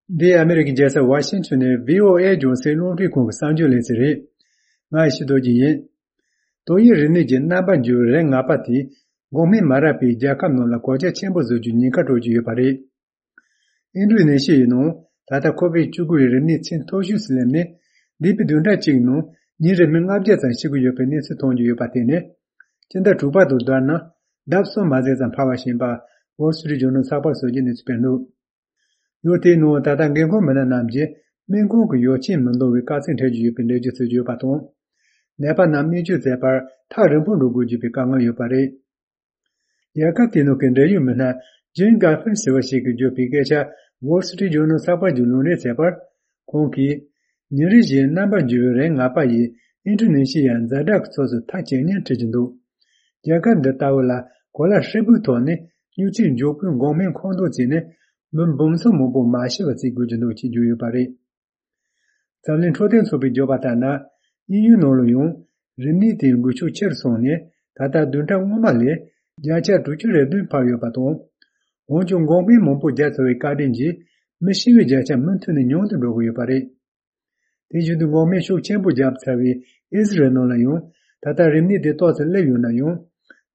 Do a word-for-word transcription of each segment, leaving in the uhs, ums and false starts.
འདི་ཨ་མི་རི་ཀའི་རྒྱལ་ས་ཝ་ཤིང་ཊོན་ནས་བྷི་ཨོ་ཨེ་རྒྱང་སྲིང་རླུང་འཕྲིན་ཁང་གི་གསར་འགྱུར་ལེ་ཚན་རེད། ང་ཡེ་ཤེས་རྡོ་རྗེ་ཡིན། ཏོག་དབྱིབས་རིམས་ནད་ཀྱི་རྣམ་པ་འགྱུར་བའི་རིགས་ང་པ་དེས་འགོག་སྨན་མ་རག་པའི་རྒྱལ་ཁབ་རྣམས་ལ་གོད་ཆག་ཆེན་པོ་བཟོ་རྒྱུའི་ཉེན་ཁ་སྤྲོད་ཀྱི་ཡོད་པ་རེད། ཨིན་ཌོ་ནེ་ཤི་ཡའི་ནང་ད་ལྟ་ཁོ་བིཌ་བཅུ་དགུ་ཡི་རིམས་ནད་ཚད་མཐོ་ཤོས་སུ་སླེབས་ནས། འདས་པའི་བདུན་ཕྲག་གཅིག་ནང་ཉིན་རེར་མི་ལྔ་བརྒྱ་ཙམ་ཤི་གི་ཡོད་པའི་གནས་ཚུལ་མཐོང་རྒྱུ་ཡོད་པ་དེ་ནི། སྤྱི་ཟླ་དྲུག་པ་དང་བསྡུར་ན་ལྡབ་གསུམ་མ་ཟིན་ཙམ་འཕར་བ་ཞིག་ཡིན་པ་Wall Street Journal་ཚགས་པར་སོགས་ཀྱིས་གནས་ཚུལ་སྤེལ་འདུག་ཡུལ་དེའི་ནང་ད་ལྟ་འགན་ཁུར་མི་སྣ་རྣམས་ཀྱིས་སྨན་ཁང་གི་ཡོ་བྱད་མི་འདང་བའི་དཀའ་ཚེགས་འཕྲད་ཀྱི་ཡོད་པའི་འགྲེལ་བརྗོད་བྱེད་ཀྱི་ཡོད་པ་དང་། ནད་པ་རྣམས་སྨན་བཅོས་མཛད་པར་ཐག་རིང་པོར་འགྲོ་དགོས་ཀྱི་ཡོད་པའི་དཀའ་ངལ་ཡོད་པ་རེད། རྒྱལ་ཁབ་དེའི་ནང་གི་འབྲེལ་ཡོད་མི་སྣ་Jean Gaffier་ཟེར་བ་ཞིག་གིས་བརྗོད་པའི་སྐད་ཆ་Wall Street Journal་ཚགས་པར་གྱིས་ལུང་འདྲེན་བྱས་པར། ཁོང་གིས། ཉིན་རེ་བཞིན་རྣམ་པར་འགྱུར་བའི་རིགས་ང་པ་ཡིས་ཨིན་ཌོ་ནེ་ཤི་ཡའི་ཛ་དྲག་གི་ཕྱོགས་སུ་མཐའ་ཇེ་ཉེར་ཁྲིད་ཀྱི་འདུག་རྒྱལ་ཁབ་འདི་ལྟ་བུ་ལ་གོ་ལ་ཧྲིལ་པོའི་ཐོག་ནས་སྨྱུག་ཆས་མགྱོགས་པོའི་འགོག་སྨན་མཁོ་འདོན་བྱས་ནས་མི་འབུམ་ཚོ་མང་པོ་མ་ཤི་བ་བྱེད་དགོས་ཀྱི་འདུག་ཅེས་བརྗོད་ཡོད་པ་རེད། འཛམ་གླིང་འཕྲོད་བསྟེན་ཚོགས་པས་བརྗོད་པ་ལྟར་ན། དབྱིན་ཡུལ་ནང་ལ་ཡང་རིམས་ནད་དེའི་འགོས་ཤུགས་ཆེ་རུ་སོང་ནས་ད་ལྟ་བདུན་ཕྲག་སྔོན་མ་ལས་བརྒྱ་ཆ་དྲུག་ཅུ་རེ་བདུན་འཕར་ཡོད་པ་དང་། འོན་ཀྱང་འགོག་སྨན་མང་པོ་བརྒྱབ་ཚར་བའི་བཀའ་དྲིན་གྱིས་མི་ཤི་བའི་བརྒྱ་ཆ་མུ་མཐུད་ནས་ཉུང་དུ་འགྲོ་གི་ཡོད་པ་རེད། དེ་བཞིན་དུ་འགོག་སྨན་ཤུགས་ཆེན་པོ་བརྒྱབ་ཚར་བའི་ཨི་ཟི་རལ་ནང་ལ་ཡང་ད་ལྟ་རིམས་ནད་དེ་ཏོག་ཙམ་སླེབས་ཡོད་ན་ཡང་།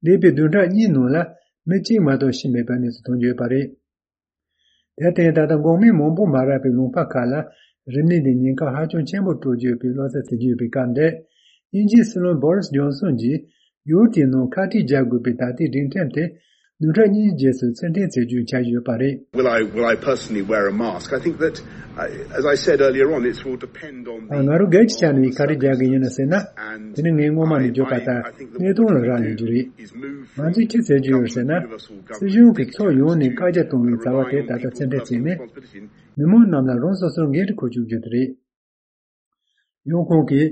འདས་པའི་བདུན་ཕྲག་གཉིས་ནང་ལ་མི་གཅིག་མ་གཏོགས་ཤི་མེད་པའི་གནས་ཚུལ་ཐོན་གྱི་ཡོད་པ་རེད། དེར་བརྟེན་ད་ལྟ་འགོག་སྨན་མང་པོ་མ་རག་པའི་ལུང་པ་ཁག་ལ་རིམས་ནད་འདི་ཉེན་ཁ་ཧ་ཅང་ཆེན་པོ་སྤྲོད་ཀྱི་ཡོད་པའི་བློ་འཚབ་བྱེད་ཀྱི་ཡོད་པའི་སྐབས་འདིར། དབྱིན་ཇིའི་སྲིད་བློན་Boris Johnson་གྱིས་ཡུལ་དེའི་ནང་ཁ་དཀྲིས་རྒྱག་དགོས་པའི་ད་ལྟའི་སྒྲིག་ཁྲིམས་དེ་བདུན་ཕྲག་གཉིས་རྗེས་སུ་ཕྱིར་འཐེན་བྱེད་རྒྱུའི་འཆར་གཞི་ཡོད་པ་རེད། Will I, will I personally wear a mask? I think that, uh, as I said earlier on, it will depend on the ང་རང་སྒེར་གྱི་ཆ་ནས་ཁ་དཀྲིས་རྒྱག་གི་ཡིན་ན་ཟེར་ན། དེ་ནི་ངས་སྔོན་མ་ནས་བརྗོད་པ་ལྟར་གནས་སྟངས་ལ་རག་ལས་རྒྱུ་རེད། ང་ཚོས་ཅི་བྱེད་ཀྱི་ཡོད་ཟེར་ན། སྲིད་གཞུང་གིས་ཕྱོགས་ཡོངས་ནས་བཀའ་རྒྱ་གཏོང་བའི་བྱ་བ་དེ་ད་ལྟ་ཕྱིར་འཐེན་བྱས་ནས། མི་མང་རྣམས་ལ་རང་སོ་སོར་འགན་འཁྲི་འཁུར་བཅུག་རྒྱུ་དེ་རེད། ཡང་ཁོང་གིས།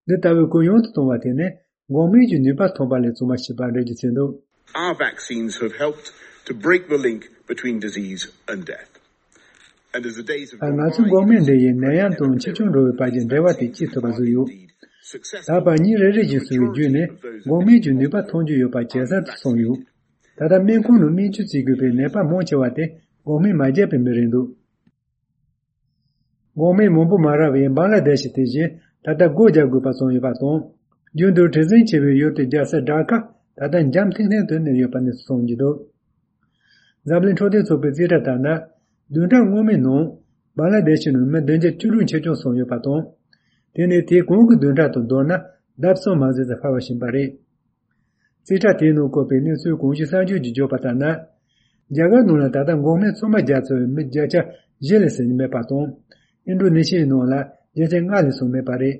འདི་ལྟ་བུའི་གུ་ཡངས་དུ་གཏོང་བ་དེ་ནི་འགོག་སྨན་གྱི་ནུས་པ་ཐོན་པ་ལས་བྱུང་བ་ཞིག་པར་འགྲེལ་བརྗོད་བྱས་འདུག Our vaccines have helped to break the link between disease and death. And as the days have gone by, ང་ཚོའི་འགོག་སྨན་འདི་ཡིས་ནད་ཡམས་དང་འཆི་གྲོངས་འགྲོ་བའི་བར་གྱི་འབྲེལ་བ་དེ་བཅད་ཐུབ་པ་བཟོས་ཡོད། ད་བར་ཉིན་རེ་རེ་བཞིན་སོང་བའི་བརྒྱུད་ནས་འགོག་སྨན་གྱི་ནུས་པ་ཐོན་རྒྱུ་ཡོད་པ་ཇེ་གསལ་དུ་སོང་ཡོད། ད་ལྟ་སྨན་ཁང་ནང་སྨན་བཅོས་བྱེད་དགོས་པའི་ནད་པ་མང་ཆེ་བ་དེ་འགོག་སྨན་མ་བརྒྱབ་པའི་མི་རེད་འདུག་འགོག་སྨན་མང་པོ་མ་རག་པའི་བང་ལ་དེ་ཤི་དེ་བཞིན་ད་ལྟ་སྒོ་རྒྱག་དགོས་པ་བྱུང་ཡོད་པ་དང་། རྒྱུན་དུ་བྲེལ་ཟིང་ཆེ་བའི་ཡུལ་དེའི་རྒྱལ་ས་ཌ་ཀ་ད་ལྟ་འཇམ་ཐིང་ཐིང་དུ་གནས་ཡོད་པ་ནས་གསུངས་ཀྱི་འདུག་འཛམ་གླིང་འཕྲོད་བསྟེན་ཚོགས་པའི་རྩིས་ཁྲ་ལྟར་ན། བདུན་ཕྲག་སྔོན་མའི་ནང་བང་ལ་དེ་ཤི་ནང་མི་བདུན་བརྒྱ་བཅུ་དྲུག་འཆི་སྐྱོན་སོང་ཡོད་པ་དང་། དེ་ནི་དེའི་གོང་གི་བདུན་ཕྲག་དང་བསྡུར་ན་ལྡབ་གསུམ་མ་ཟིན་ཙམ་འཕར་བ་ཞིག་ཡིན་པ་རེད། རྩིས་ཁྲ་དེའི་ནང་བཀོད་པའི་གནས་ཚུལ་གོང་ཞུས་གསར་འགྱུར་གྱིས་བརྗོད་པ་ལྟར་ན། རྒྱ་གར་ནང་ལ་ད་ལྟ་འགོག་སྨན་ཚང་མ་བརྒྱབ་ཚར་བའི་མི་བརྒྱ་ཆ་བཞི་ལས་ཟིན་མེད་པ་དང་། ཨིན་ཌོ་ནེ་ཤི་ཡའི་ནང་ལ་བརྒྱ་ཆ་ལྔ་ལས་སོང་མེད་པ་རེད།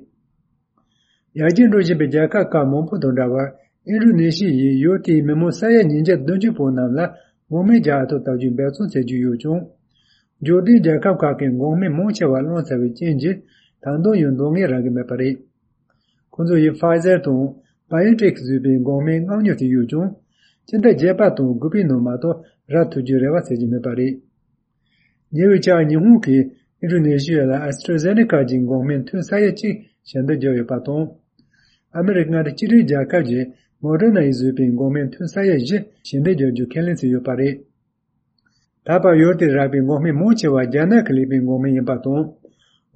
ཡར་རྒྱས་འགྲོ་བཞིན་པའི་རྒྱལ་ཁབ་ཁག་མང་པོ་དང་འདྲ་བར། ཨིན་ཌོ་ནེ་ཤི་ཡིས་ཡུལ་དེའི་མི་མང་ས་ཡ་ཉིས་བརྒྱ་བདུན་ཅུ་པོ་རྣམས་ལ་འགོག་སྨན་རྒྱག་ཐབས་ལྟ་རྒྱུའི་འབད་བརྩོན་བྱེད་ཀྱི་ཡོད་ཀྱང་། འབྱོར་ལྡན་རྒྱལ་ཁབ་ཁག་གིས་འགོག་སྨན་མང་ཆེ་བ་བླངས་ཚར་བའི་རྐྱེན་གྱིས། ད་དུང་ཡང་འདང་ངེས་རག་གི་མེད་པ་རེད། ཁོ་ཚོ་ཡིས་Pfizer་དང་BioNTech་བཟོས་པའི་འགོག་སྨན་མངགས་ཉོ་བྱས་ཡོད་ཀྱང་། སྤྱི་ཟླ་བརྒྱད་པ་དང་དགུ་པའི་ནང་མ་གཏོགས་རག་ཐུབ་རྒྱུའི་རེ་བ་བྱེད་ཀྱི་མེད་པ་རེད། ཉེ་བའི་ཆར་ཉི་ཧོང་གིས་ཨིན་ཌོ་ནེ་ཤི་ཡ་ལ་AstraZeneca་གྱི་འགོག་སྨན་ཐུན་ས་ཡ་གཅིག་ཞལ་འདེབས་བརྒྱབ་ཡོད་པ་དང་། ཨ་མི་རི་ཀ་མངའ་སྡེ་སྤྱི་མཐུན་རྒྱལ་ཁབ་ཀྱིས་Moderna་ཡིས་བཟོས་པའི་འགོག་སྨན་ཐུན་ས་ཡ་བཞི་ཞལ་འདེབས་བརྒྱབ་རྒྱུ་ཁས་ལེན་བྱས་ཡོད་པ་རེད། ད་བར་ཡུལ་དེར་རག་པའི་འགོག་སྨན་མང་ཆེ་བ་རྒྱ་ནག་གིས་ལས་པའི་འགོག་སྨན་ཡིན་པ་དང་།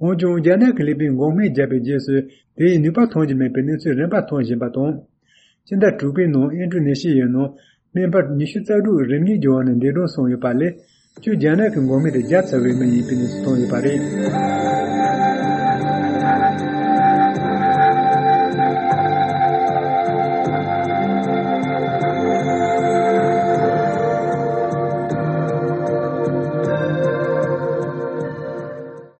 འོན་ཀྱང་རྒྱ་ནག་གིས་ལས་པའི་འགོག་སྨན་བརྒྱབ་པའི་རྗེས་སུ་དེ་ཡི་ནུས་པ་ཐོན་གྱི་མེད་པའི་གནས་ཚུལ་རིམ་པར་ཐོན་བཞིན་པ་དང་། སྤྱི་ཟླ་དྲུག་པའི་ནང་ཨིན་ཌོ་ནེ་ཤི་ཡའི་ནང་སྨན་པ་ཉི་ཤུ་རྩ་དྲུག་རིམས་ནད་ཀྱི་འོག་ནས་འདས་གྲོངས་སོང་ཡོད་པ་ལས་བཅུ་རྒྱ་ནག་གི་འགོག་སྨན་དེ་བརྒྱབ་ཚར་བའི་མི་ཡིན་པའི་གནས་ཚུལ་ཐོན་ཡོད་པ་རེད།